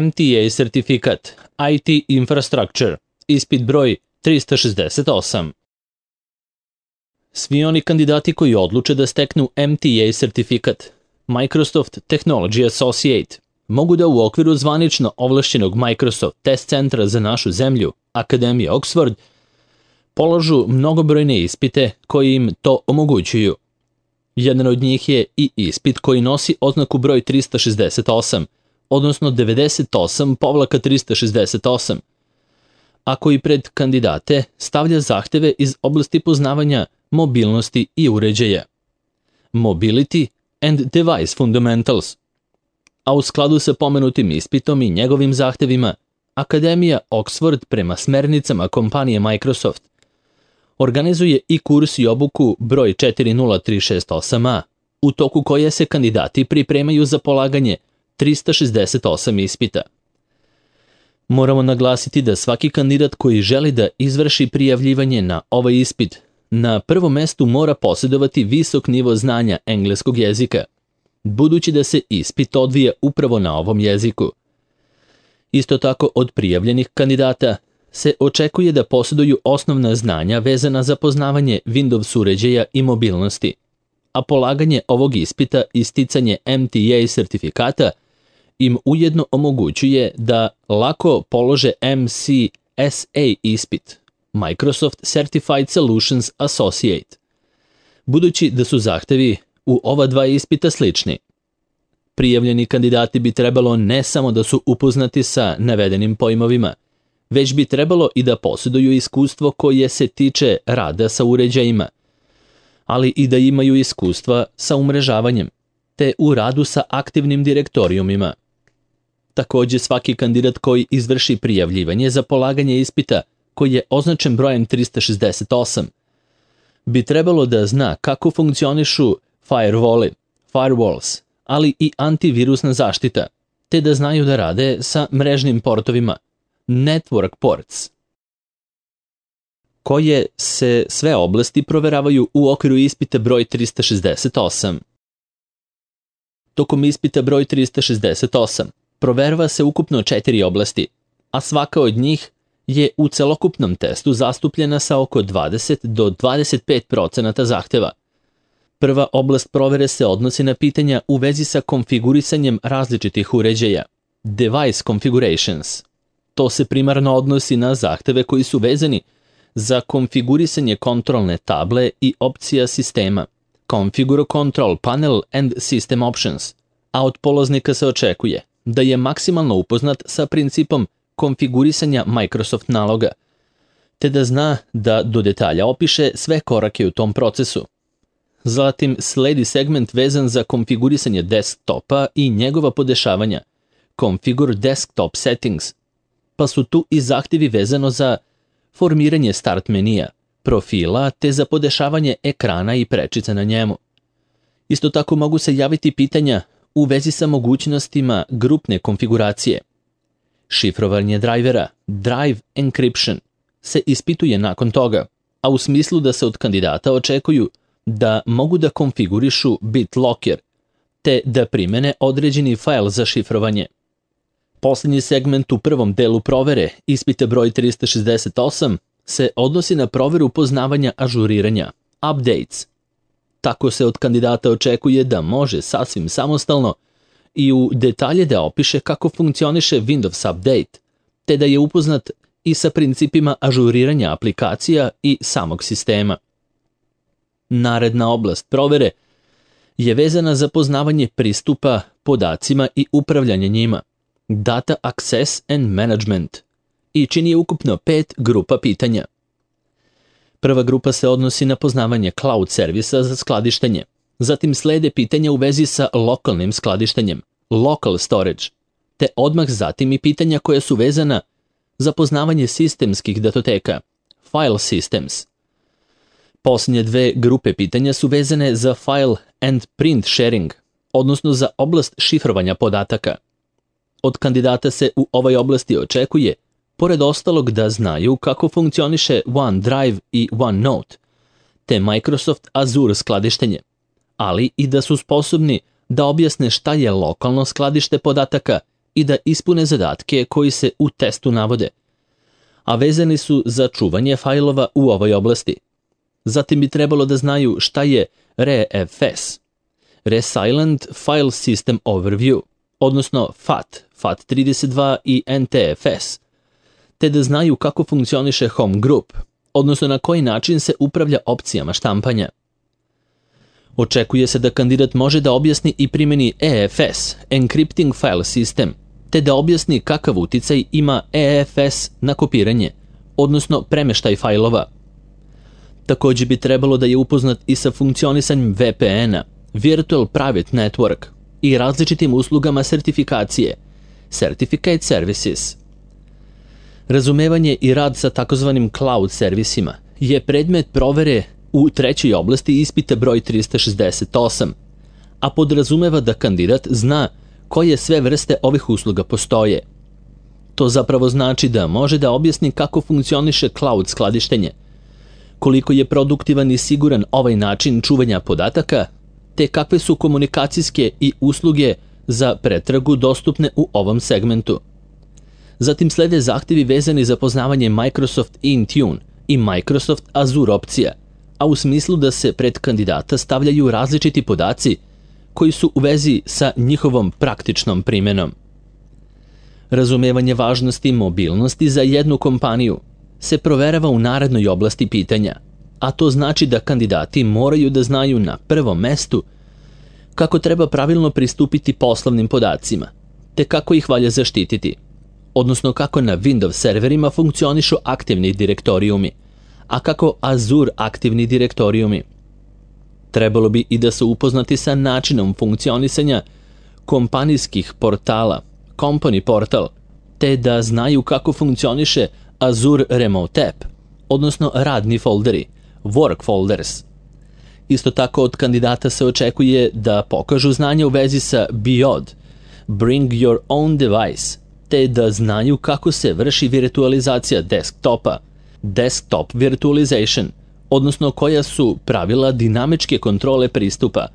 MTA sertifikat, IT Infrastructure, ispit broj 368. Svi oni kandidati koji odluče da steknu MTA sertifikat, Microsoft Technology Associate, mogu da u okviru zvanično ovlašćenog Microsoft test centra za našu zemlju, Akademije Oxford, polažu mnogobrojne ispite koji im to omogućuju. Jedan od njih je i ispit koji nosi oznaku broj 368, odnosno 98/368, a koji pred kandidate stavlja zahteve iz oblasti poznavanja mobilnosti i uređaja. Mobility and Device Fundamentals. A u skladu sa pomenutim ispitom i njegovim zahtevima, Akademija Oxford prema smernicama kompanije Microsoft organizuje i kurs i obuku broj 40368A, u toku koje se kandidati pripremaju za polaganje 368 ispita. Moramo naglasiti da svaki kandidat koji želi da izvrši prijavljivanje na ovaj ispit na prvom mestu mora posjedovati visok nivo znanja engleskog jezika, budući da se ispit odvija upravo na ovom jeziku. Isto tako od prijavljenih kandidata se očekuje da posjeduju osnovna znanja vezana za poznavanje Windows uređaja i mobilnosti, a polaganje ovog ispita i sticanje MTA sertifikata im ujedno omogućuje da lako polože MCSA ispit, Microsoft Certified Solutions Associate, budući da su zahtevi u ova dva ispita slični. Prijavljeni kandidati bi trebalo ne samo da su upoznati sa navedenim pojmovima, već bi trebalo i da posjeduju iskustvo koje se tiče rada sa uređajima, ali i da imaju iskustva sa umrežavanjem, te u radu sa aktivnim direktorijumima. Također svaki kandidat koji izvrši prijavljivanje za polaganje ispita, koji je označen brojem 368, bi trebalo da zna kako funkcionišu firewalls, ali i antivirusna zaštita, te da znaju da rade sa mrežnim portovima, network ports, koje se sve oblasti proveravaju u okviru ispita broj 368. Tokom ispita broj 368 proverava se ukupno 4 oblasti, a svaka od njih je u celokupnom testu zastupljena sa oko 20 do 25% zahteva. Prva oblast provere se odnosi na pitanja u vezi sa konfigurisanjem različitih uređaja, device configurations. To se primarno odnosi na zahteve koji su vezani za konfigurisanje kontrolne table i opcija sistema, Configure Control Panel and System Options, a od polaznika se očekuje da je maksimalno upoznat sa principom konfigurisanja Microsoft naloga, te da zna da do detalja opiše sve korake u tom procesu. Zatim sledi segment vezan za konfigurisanje desktopa i njegova podešavanja, Configure Desktop Settings, pa su tu i zahtjevi vezano za formiranje start menija, profila te za podešavanje ekrana i prečica na njemu. Isto tako mogu se javiti pitanja u vezi sa mogućnostima grupne konfiguracije. Šifrovanje drivera, drive encryption, se ispituje nakon toga, a u smislu da se od kandidata očekuju da mogu da konfigurišu BitLocker, te da primene određeni fajl za šifrovanje. Posljednji segment u prvom delu provere, ispita broj 368, se odnosi na proveru poznavanja ažuriranja, updates. Tako se od kandidata očekuje da može sasvim samostalno i u detalje da opiše kako funkcioniše Windows Update, te da je upoznat i sa principima ažuriranja aplikacija i samog sistema. Naredna oblast provere je vezana za poznavanje pristupa podacima i upravljanje njima, Data Access and Management, i čini ukupno 5 grupa pitanja. Prva grupa se odnosi na poznavanje cloud servisa za skladištenje, zatim slede pitanja u vezi sa lokalnim skladištenjem, local storage, te odmah zatim i pitanja koja su vezana za poznavanje sistemskih datoteka, file systems. Posljednje dve grupe pitanja su vezane za file and print sharing, odnosno za oblast šifrovanja podataka. Od kandidata se u ovoj oblasti očekuje, pored ostalog, da znaju kako funkcioniše OneDrive i OneNote, te Microsoft Azure skladištenje, ali i da su sposobni da objasne šta je lokalno skladište podataka i da ispune zadatke koji se u testu navode, a vezani su za čuvanje fajlova u ovoj oblasti. Zatim bi trebalo da znaju šta je RFS, Resilient File System Overview, odnosno FAT, FAT32 i NTFS, te da znaju kako funkcioniše Home Group, odnosno na koji način se upravlja opcijama štampanja. Očekuje se da kandidat može da objasni i primeni EFS, Encrypting File System, te da objasni kakav uticaj ima EFS na kopiranje, odnosno premeštaj fajlova. Takođe bi trebalo da je upoznat i sa funkcionisanjem VPN-a, Virtual Private Network, i različitim uslugama sertifikacije, Certificate Services. Razumevanje i rad sa takozvanim cloud servisima je predmet provere u trećoj oblasti ispita broj 368, a podrazumeva da kandidat zna koje sve vrste ovih usluga postoje. To zapravo znači da može da objasni kako funkcioniše cloud skladištenje, koliko je produktivan i siguran ovaj način čuvanja podataka, te kakve su komunikacijske i usluge za pretragu dostupne u ovom segmentu. Zatim slede zahtevi vezani za poznavanje Microsoft Intune i Microsoft Azure opcija, a u smislu da se pred kandidata stavljaju različiti podaci koji su u vezi sa njihovom praktičnom primenom. Razumevanje važnosti i mobilnosti za jednu kompaniju se proverava u narednoj oblasti pitanja, a to znači da kandidati moraju da znaju na prvom mestu kako treba pravilno pristupiti poslovnim podacima, te kako ih valja zaštititi, odnosno kako na Windows serverima funkcionišu aktivni direktorijumi, a kako Azure aktivni direktorijumi. Trebalo bi i da su upoznati sa načinom funkcionisanja kompanijskih portala, Company Portal, te da znaju kako funkcioniše Azure Remote App, odnosno radni folderi, Work Folders. Isto tako od kandidata se očekuje da pokažu znanje u vezi sa BYOD, Bring Your Own Device, te da znaju kako se vrši virtualizacija desktopa, Desktop Virtualization, odnosno koja su pravila dinamičke kontrole pristupa,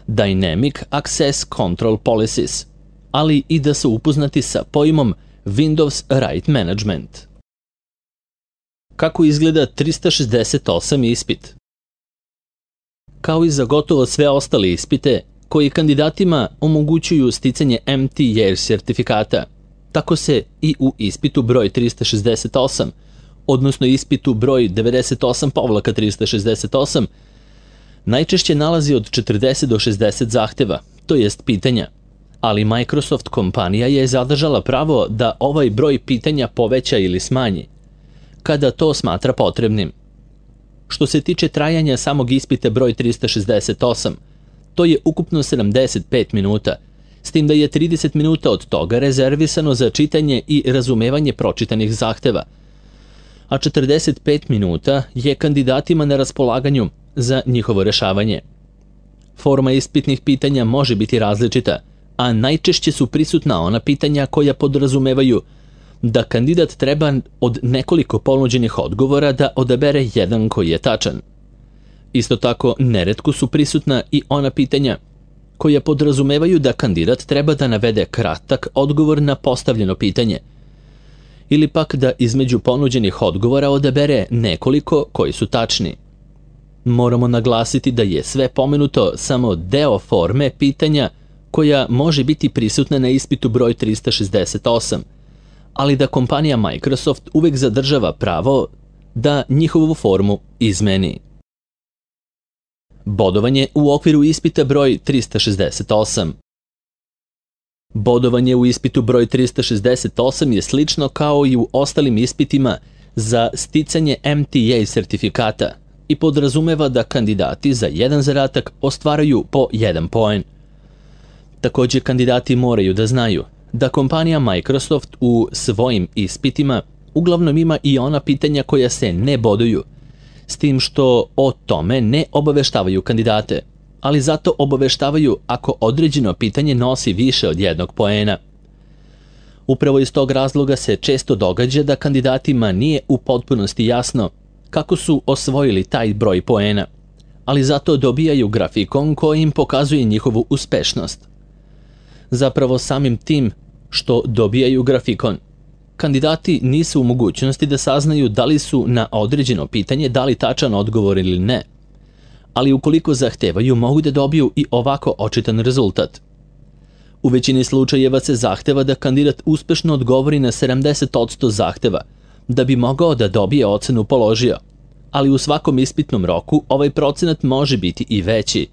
Dynamic Access Control Policies, ali i da su upoznati sa pojmom Windows Right Management. Kako izgleda 368 ispit? Kao i za gotovo sve ostale ispite koji kandidatima omogućuju sticanje MTA sertifikata, tako se i u ispitu broj 368, odnosno ispitu broj 98/368, najčešće nalazi od 40 do 60 zahteva, to jest pitanja, ali Microsoft kompanija je zadržala pravo da ovaj broj pitanja poveća ili smanji, kada to smatra potrebnim. Što se tiče trajanja samog ispita broj 368, to je ukupno 75 minuta, s tim da je 30 minuta od toga rezervisano za čitanje i razumevanje pročitanih zahteva, a 45 minuta je kandidatima na raspolaganju za njihovo rešavanje. Forma ispitnih pitanja može biti različita, a najčešće su prisutna ona pitanja koja podrazumevaju da kandidat treba od nekoliko ponuđenih odgovora da odabere jedan koji je tačan. Isto tako, neretko su prisutna i ona pitanja koja podrazumevaju da kandidat treba da navede kratak odgovor na postavljeno pitanje, ili pak da između ponuđenih odgovora odabere nekoliko koji su tačni. Moramo naglasiti da je sve pomenuto samo deo forme pitanja koja može biti prisutna na ispitu broj 368, ali da kompanija Microsoft uvek zadržava pravo da njihovu formu izmeni. Bodovanje u okviru ispita broj 368. Bodovanje u ispitu broj 368 je slično kao i u ostalim ispitima za sticanje MTA sertifikata i podrazumeva da kandidati za jedan zadatak ostvaraju po 1 poen. Takođe, kandidati moraju da znaju da kompanija Microsoft u svojim ispitima uglavnom ima i ona pitanja koja se ne boduju, s tim što o tome ne obaveštavaju kandidate, ali zato obaveštavaju ako određeno pitanje nosi više od 1 poena. Upravo iz tog razloga se često događa da kandidatima nije u potpunosti jasno kako su osvojili taj broj poena, ali zato dobijaju grafikon koji im pokazuje njihovu uspešnost. Zapravo samim tim što dobijaju grafikon. Kandidati nisu u mogućnosti da saznaju da li su na određeno pitanje dali tačan odgovor ili ne, ali ukoliko zahtevaju mogu da dobiju i ovako očitan rezultat. U većini slučajeva se zahteva da kandidat uspešno odgovori na 70% zahteva da bi mogao da dobije ocenu položio, ali u svakom ispitnom roku ovaj procenat može biti i veći.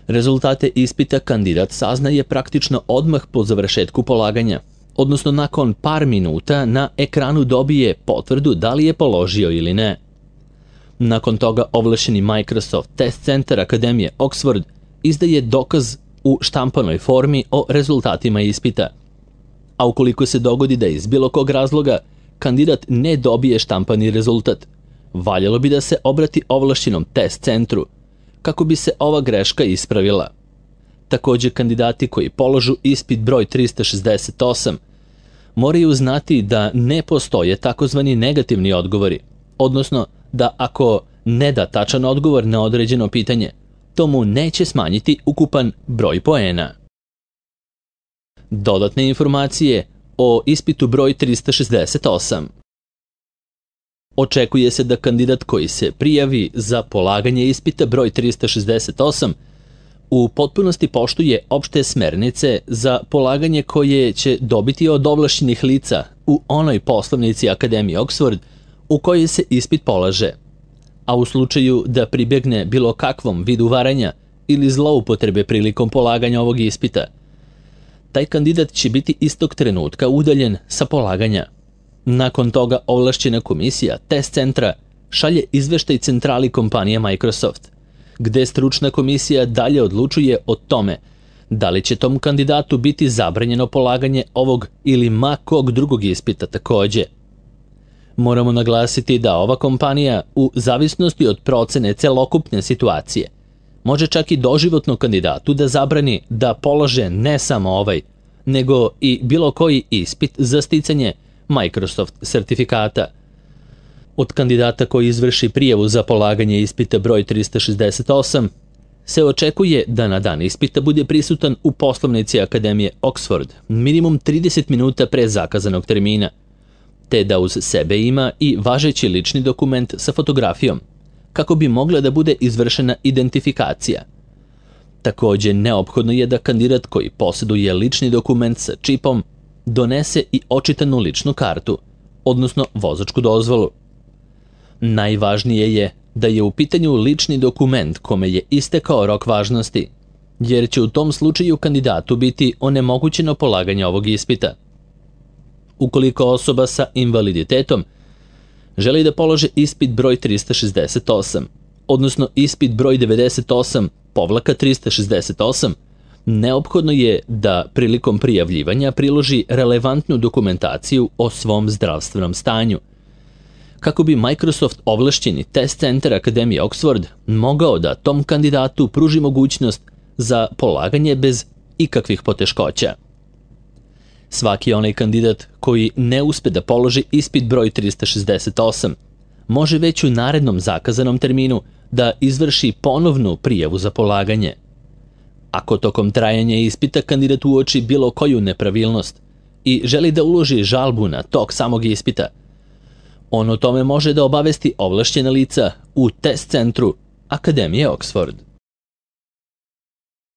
Rezultate ispita kandidat saznaje praktično odmah po završetku polaganja, odnosno nakon par minuta na ekranu dobije potvrdu da li je položio ili ne. Nakon toga ovlašćeni Microsoft Test Center Akademije Oxford izdaje dokaz u štampanoj formi o rezultatima ispita. A ukoliko se dogodi da iz bilo kog razloga kandidat ne dobije štampani rezultat, valjalo bi da se obrati ovlašćenom test centru kako bi se ova greška ispravila. Takođe, kandidati koji položu ispit broj 368 moraju znati da ne postoje takozvani negativni odgovori, odnosno da ako ne da tačan odgovor na određeno pitanje, to mu neće smanjiti ukupan broj poena. Dodatne informacije o ispitu broj 368. Očekuje se da kandidat koji se prijavi za polaganje ispita broj 368 u potpunosti poštuje opšte smernice za polaganje koje će dobiti od ovlašćenih lica u onoj poslovnici Akademije Oxford u kojoj se ispit polaže, a u slučaju da pribjegne bilo kakvom vidu varanja ili zloupotrebe prilikom polaganja ovog ispita, taj kandidat će biti istog trenutka udaljen sa polaganja. Nakon toga ovlašćena komisija test centra šalje izveštaj centrali kompanije Microsoft, gde stručna komisija dalje odlučuje o tome da li će tom kandidatu biti zabranjeno polaganje ovog ili ma kog drugog ispita takođe. Moramo naglasiti da ova kompanija, u zavisnosti od procene celokupne situacije, može čak i doživotno kandidatu da zabrani da polože ne samo ovaj, nego i bilo koji ispit za sticanje Microsoft sertifikata. Od kandidata koji izvrši prijavu za polaganje ispita broj 368 se očekuje da na dan ispita bude prisutan u poslovnici Akademije Oxford minimum 30 minuta pre zakazanog termina, te da uz sebe ima i važeći lični dokument sa fotografijom, kako bi mogla da bude izvršena identifikacija. Takođe, neophodno je da kandidat koji posjeduje lični dokument sa čipom donese i očitanu ličnu kartu, odnosno vozačku dozvolu. Najvažnije je da je u pitanju lični dokument kome je istekao rok važnosti, jer će u tom slučaju kandidatu biti onemogućeno polaganje ovog ispita. Ukoliko osoba sa invaliditetom želi da položi ispit broj 368, odnosno ispit broj 98/368, neophodno je da prilikom prijavljivanja priloži relevantnu dokumentaciju o svom zdravstvenom stanju, kako bi Microsoft ovlašćeni test centar Akademije Oxford mogao da tom kandidatu pruži mogućnost za polaganje bez ikakvih poteškoća. Svaki onaj kandidat koji ne uspe da položi ispit broj 368 može već u narednom zakazanom terminu da izvrši ponovnu prijavu za polaganje. Ako tokom trajanja ispita kandidat uoči bilo koju nepravilnost i želi da uloži žalbu na tok samog ispita, on o tome može da obavesti ovlašćena lica u test centru Akademije Oxford.